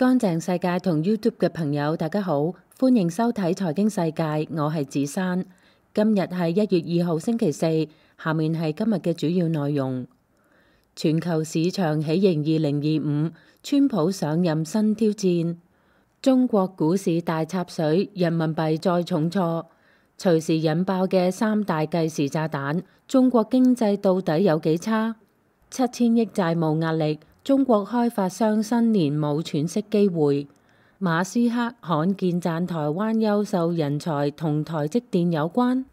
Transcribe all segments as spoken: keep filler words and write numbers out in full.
乾淨世界同 YouTube 嘅朋友，大家好，歡迎收睇財經世界，我係子珊。今日係一月二號星期四，下面係今日嘅主要內容。全球市場喜迎二零二五，川普上任新挑戰。中國股市大插水，人民幣再重挫，隨時引爆嘅三大計時炸彈。中國經濟到底有幾差？七千億債務壓力。中國開發商新年冇喘息機會。馬斯克罕見讚台灣優秀人才同台積電有關。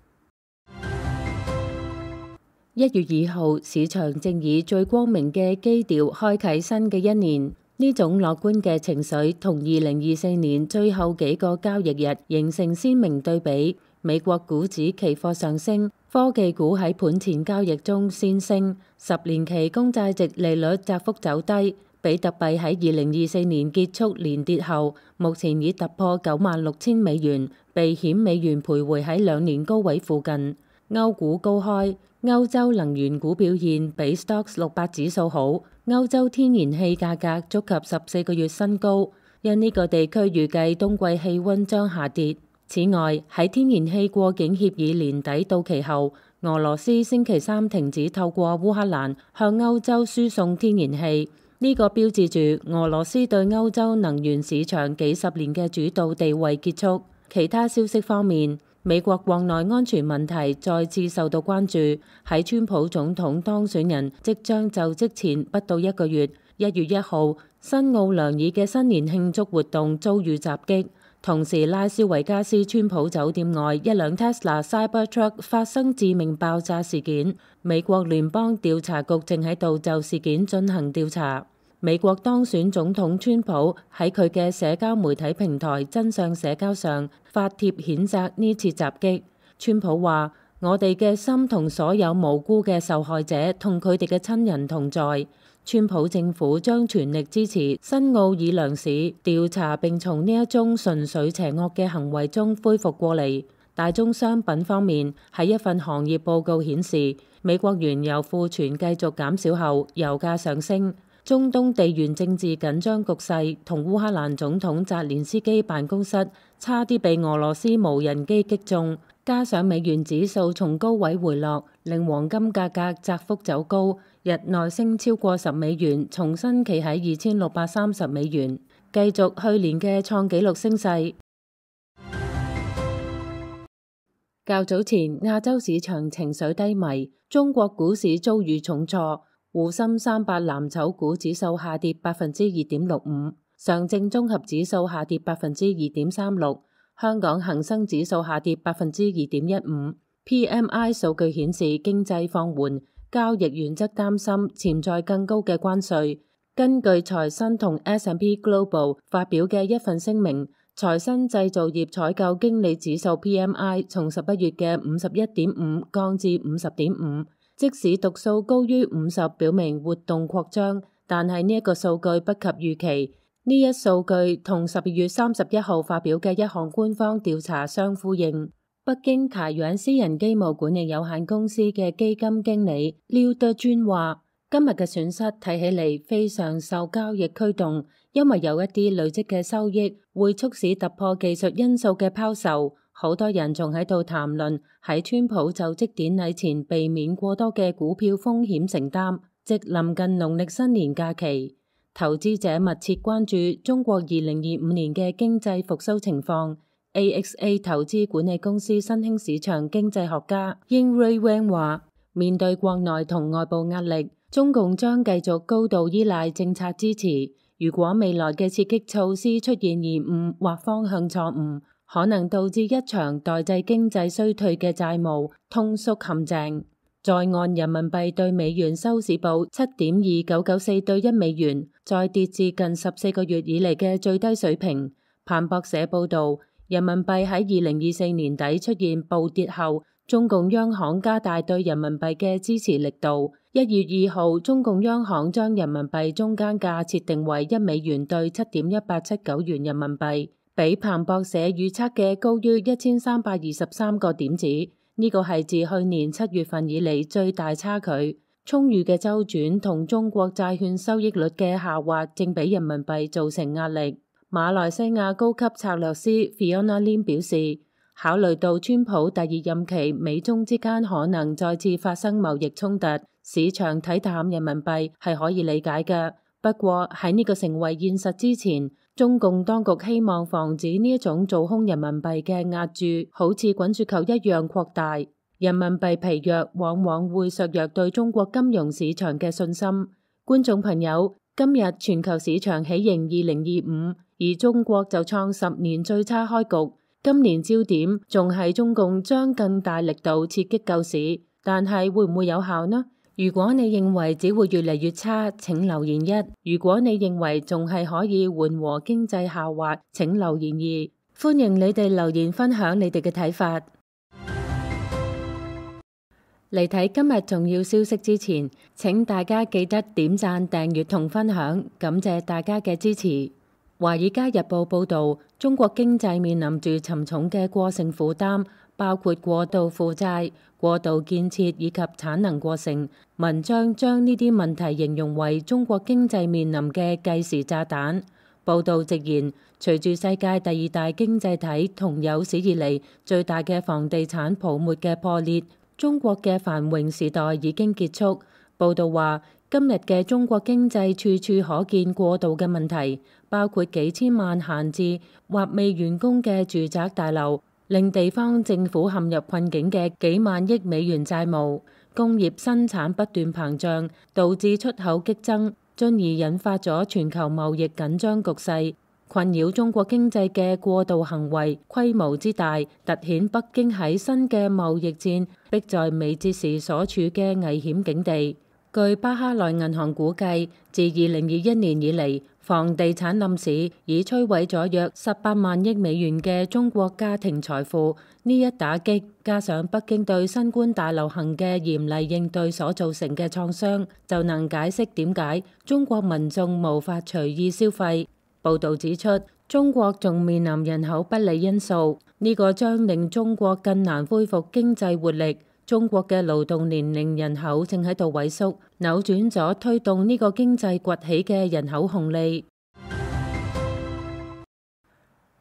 一月二號，市場正以最光明嘅基調開啟新嘅一年。呢種樂觀嘅情緒同二零二四年最後幾個交易日形成鮮明對比。美國股指期貨上升，科技股喺盤前交易中先升，十年期公債殖利率窄幅走低。比特幣喺二零二四年結束連跌後，目前已突破九萬六千美元，避險美元徘徊喺兩年高位附近。歐股高開，歐洲能源股表現比 Stoxx 六百指數好，歐洲天然氣價格觸及十四個月新高，因呢個地區預計冬季氣溫將下跌。此外，喺天然氣過境協議年底到期後，俄羅斯星期三停止透過烏克蘭向歐洲輸送天然氣，呢、這個標誌住俄羅斯對歐洲能源市場幾十年嘅主導地位結束。其他消息方面，美國國內安全問題再次受到關注。喺川普總統當選人即將就職前不到一個月，一月一號，新奧良爾嘅新年慶祝活動遭遇襲擊。同時，拉斯維加斯川普酒店外一輛 Tesla Cybertruck 發生致命爆炸事件。美國聯邦調查局正喺度就事件進行調查。美國當選總統川普喺佢嘅社交媒體平台真相社交上發帖譴責呢次襲擊。川普話：我哋嘅心同所有無辜嘅受害者同佢哋嘅親人同在。川普政府將全力支持新奧爾良市調查並從呢一宗純粹邪惡嘅行為中恢復過嚟。大宗商品方面，喺一份行業報告顯示，美國原油庫存繼續減少後，油價上升。中東地緣政治緊張局勢同烏克蘭總統澤連斯基辦公室差啲被俄羅斯無人機擊中，加上美元指數從高位回落，令黃金價格窄幅走高，日內升超過十美元，重新企喺二千六百三十美元，繼續去年嘅創紀錄升勢。較早前，亞洲市場情緒低迷，中國股市遭遇重挫。滬深三百藍籌股指數下跌百分之二點六五，上證綜合指數下跌百分之二點三六，香港恒生指數下跌百分之二點一五。P M I 數據顯示經濟放緩，交易員則擔心潛在更高嘅關稅。根據財新同 S and P Global 發表嘅一份聲明，財新製造業採購經理指數 P M I 從十一月嘅五十一點五降至五十點五。即使讀數高於五十，表明活動擴張，但係呢一個數據不及預期。呢一數據同十二月三十一號發表嘅一項官方調查相呼應。北京凱源私人機務管理有限公司嘅基金經理廖德尊話：今日嘅損失睇起嚟非常受交易驅動，因為有一啲累積嘅收益會促使突破技術因素嘅拋售。好多人仲喺度談論喺川普就職典禮前避免過多嘅股票風險承擔，即臨近農曆新年假期。投資者密切關注中國二零二五年嘅經濟復甦情況。A X A 投資管理公司新興市場經濟學家英瑞 Wang 話：面對國內同外部壓力，中共將繼續高度依賴政策支持。如果未來嘅刺激措施出現延誤或方向錯誤，可能導致一場代際經濟衰退嘅債務通縮陷阱。在岸人民幣對美元收市報七點二九九四對一美元，再跌至近十四個月以嚟嘅最低水平。彭博社報導，人民幣喺二零二四年底出現暴跌後，中共央行加大對人民幣嘅支持力度。一月二號，中共央行將人民幣中間價設定為一美元對七點一八七九元人民幣。比彭博社預測嘅高於一千三百二十三個點子，呢個係自去年七月份以嚟最大差距。充裕嘅周轉同中國債券收益率嘅下滑，正俾人民幣造成壓力。馬來西亞高級策略師 Fiona Lim 表示，考慮到川普第二任期美中之間可能再次發生貿易衝突，市場睇淡人民幣係可以理解嘅。不過喺呢個成為現實之前，中共當局希望防止呢一種做空人民幣嘅壓注好似滾雪球一樣擴大。人民幣疲弱往往會削弱對中國金融市場嘅信心。觀眾朋友，今日全球市場喜迎二零二五，而中國就創十年最差開局。今年焦點仲係中共將更大力度刺激救市，但係會唔會有效呢？如果你認為只會越嚟越差，請留言一；如果你認為仲係可以緩和經濟下滑，請留言二。歡迎你哋留言分享你哋嘅睇法。嚟睇今日重要消息之前，請大家記得點讚、訂閱同分享，感謝大家嘅支持。華爾街日報報導，中國經濟面臨住沉重嘅過剩負擔，包括過度負債、過度建設以及產能過剩。文章將呢啲問題形容為中國經濟面臨嘅計時炸彈。報導直言，隨住世界第二大經濟體同有史以嚟最大嘅房地產泡沫嘅破裂，中國嘅繁榮時代已經結束。報導話，今日嘅中國經濟處處可見過度嘅問題，包括幾千萬閒置或未完工嘅住宅大樓，令地方政府陷入困境嘅幾萬億美元債務，工業生產不斷膨脹，導致出口激增，進而引發咗全球貿易緊張局勢。困擾中國經濟嘅過度行為規模之大，凸顯北京喺新嘅貿易戰迫在眉睫時所處嘅危險境地。據巴哈萊銀行估計，自二零二一年以嚟，房地產冧市已摧毀咗約十八萬億美元嘅中國家庭財富。呢一打擊，加上北京對新冠大流行嘅嚴厲應對所造成嘅創傷，就能解釋點解中國民眾無法隨意消費。報導指出，中國仲面臨人口不利因素，呢個將令中國更難恢復經濟活力。中國嘅勞動年齡人口正喺度萎縮，扭轉咗推動呢個經濟崛起嘅人口紅利。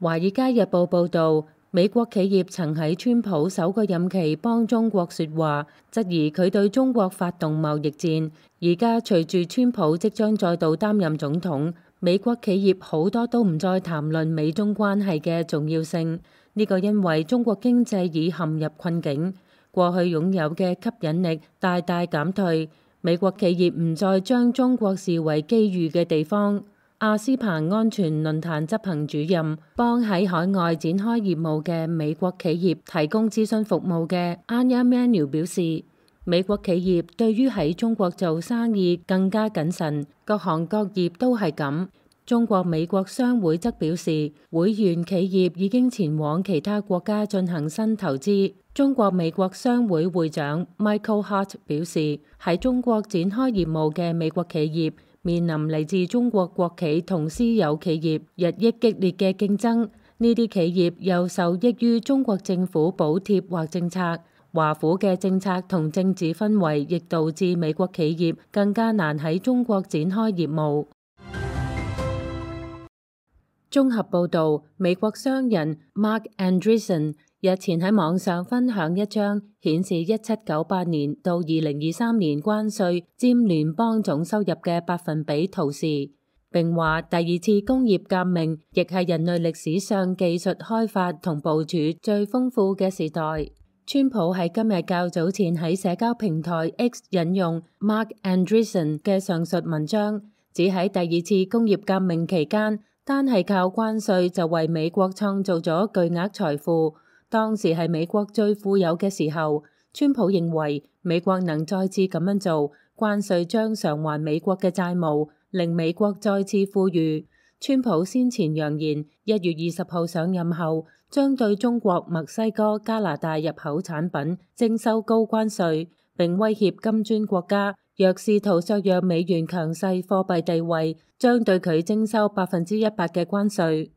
華爾街日報報導，美國企業曾喺川普首個任期幫中國説話，質疑佢對中國發動貿易戰。而家隨住川普即將再度擔任總統，美國企業好多都唔再談論美中關係嘅重要性。呢個因為中國經濟已陷入困境。過去擁有嘅吸引力大大減退，美國企業唔再將中國視為機遇嘅地方。阿斯彭安全論壇執行主任、幫喺海外展開業務嘅美國企業提供諮詢服務嘅 Anya Manuel 表示，美國企業對於喺中國做生意更加謹慎，各行各業都係咁。中國美國商會則表示，會員企業已經前往其他國家進行新投資。中國美國商會會長 Michael Hart 表示，喺中國展開業務嘅美國企業面臨嚟自中國國企同私有企業日益激烈嘅競爭，呢啲企業又受益於中國政府補貼或政策。華府嘅政策同政治氛圍亦導致美國企業更加難喺中國展開業務。綜合報導，美國商人 Mark Andreessen 日前喺網上分享一張顯示一七九八年到二零二三年關稅佔聯邦總收入嘅百分比圖示，並話第二次工業革命亦係人類歷史上技術開發同部署最豐富嘅時代。川普喺今日較早前喺社交平台 X 引用 Mark Andreessen 嘅上述文章，指喺第二次工業革命期間，單係靠關稅就為美國創造咗巨額財富。當時係美國最富有嘅時候。川普認為美國能再次咁樣做，關稅將償還美國嘅債務，令美國再次富裕。川普先前揚言，一月二十號上任後，將對中國、墨西哥、加拿大入口產品徵收高關稅，並威脅金磚國家，若試圖削弱美元強勢貨幣地位，將對佢徵收百分之一百嘅關稅。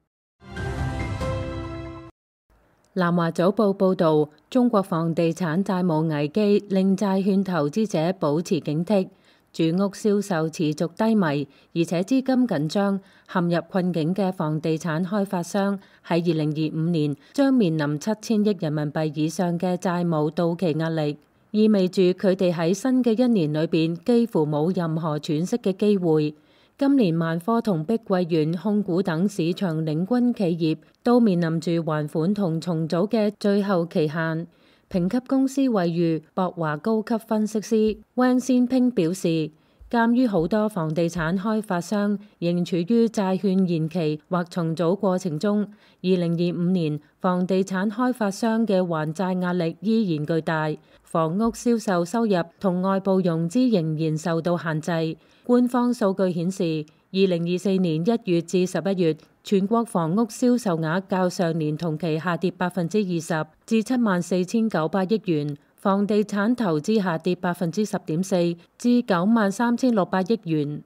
南華早報報導，中國房地產債務危機令債券投資者保持警惕，住屋銷售持續低迷，而且資金緊張，陷入困境嘅房地產開發商喺二零二五年將面臨七千億人民幣以上嘅債務到期壓力，意味住佢哋喺新嘅一年裏邊幾乎冇任何喘息嘅機會。今年萬科同碧桂園控股等市場領軍企業都面臨住還款同重組嘅最後期限。評級公司惠譽博華高級分析師汪先拼表示，鑑於好多房地產開發商仍處於債券延期或重組過程中，二零二五年房地產開發商嘅還債壓力依然巨大，房屋銷售收入同外部融資仍然受到限制。官方數據顯示，二零二四年一月至十一月，全國房屋銷售額較上年同期下跌百分之二十，至七萬四千九百億元；房地產投資下跌百分之十點四，至九萬三千六百億元。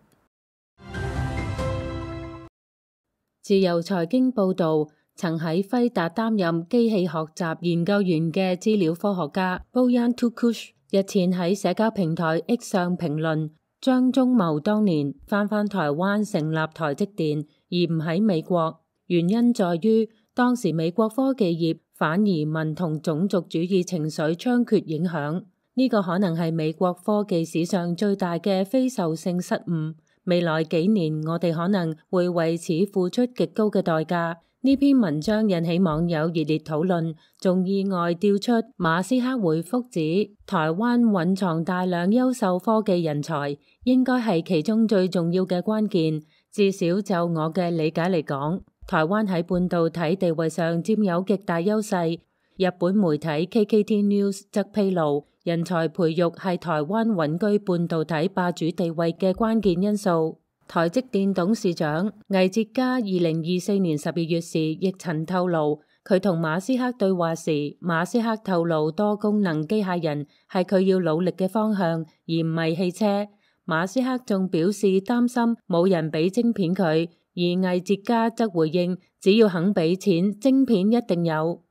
自由財經報導，曾喺輝達擔任機器學習研究員嘅資料科學家 Boyan Tukush 日前喺社交平台 X 上評論，張忠謀當年翻返台灣成立台積電，而唔喺美國，原因在於當時美國科技業反移民同種族主義情緒猖獗影響，呢個可能係美國科技史上最大嘅非受性失誤。未來幾年我哋可能會為此付出極高嘅代價。呢篇文章引起網友熱烈討論，仲意外調出馬斯克回覆指，台灣蘊藏大量優秀科技人才，應該係其中最重要嘅關鍵。至少就我嘅理解嚟講，台灣喺半導體地位上佔有極大優勢。日本媒體 K K T News 則披露，人才培育係台灣穩居半導體霸主地位嘅關鍵因素。台積電董事長魏哲家二零二四年十二月時亦曾透露，佢同馬斯克對話時，馬斯克透露多功能機械人係佢要努力嘅方向，而唔係汽車。馬斯克仲表示擔心冇人俾晶片佢，而魏哲家則回應，只要肯俾錢，晶片一定有。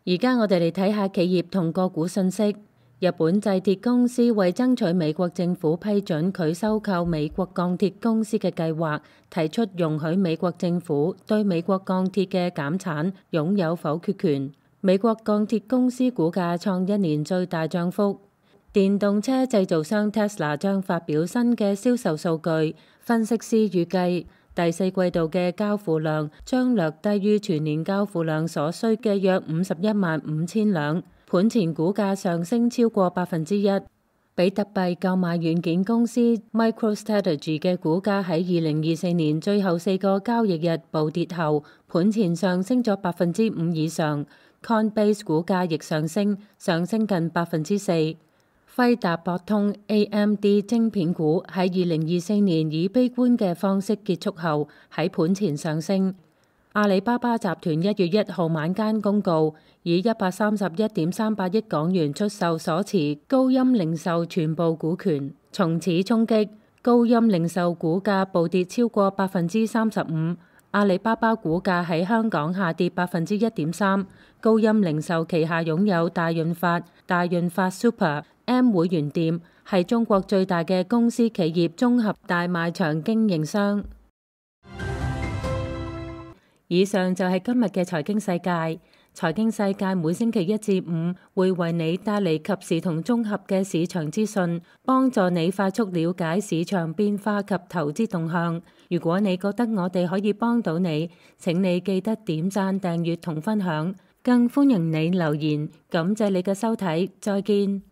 而家我哋嚟睇下企業同個股信息。日本製鐵公司為爭取美國政府批准佢收購美國鋼鐵公司嘅計劃，提出容許美國政府對美國鋼鐵嘅減產擁有否決權。美國鋼鐵公司股價創一年最大漲幅。電動車製造商 Tesla 將發表新嘅銷售數據，分析師預計第四季度嘅交付量將略低於全年交付量所需嘅約五十一萬五千輛。盤前股價上升超過百分之一。比特幣購買軟件公司 MicroStrategy 嘅股價喺二零二四年最後四個交易日暴跌後，盤前上升咗百分之五以上。Coinbase 股價亦上升，上升近百分之四。輝達、博通、A M D 晶片股喺二零二四年以悲觀嘅方式結束後，喺盤前上升。阿里巴巴集團一月一號晚間公告，以一百三十一點三八億港元出售所持高鑫零售全部股權，從此衝擊高鑫零售股價暴跌超過百分之三十五。阿里巴巴股價喺香港下跌百分之一點三。高鑫零售旗下擁有大潤發、大潤發 Super、M 會員店，係中國最大嘅公司企業綜合大賣場經營商。以上就係今日嘅財經世界。財經世界每星期一至五會為你帶嚟及時同綜合嘅市場資訊，幫助你快速了解市場變化及投資動向。如果你覺得我哋可以幫到你，請你記得點讚、訂閱同分享，更歡迎你留言。感謝你嘅收睇，再見。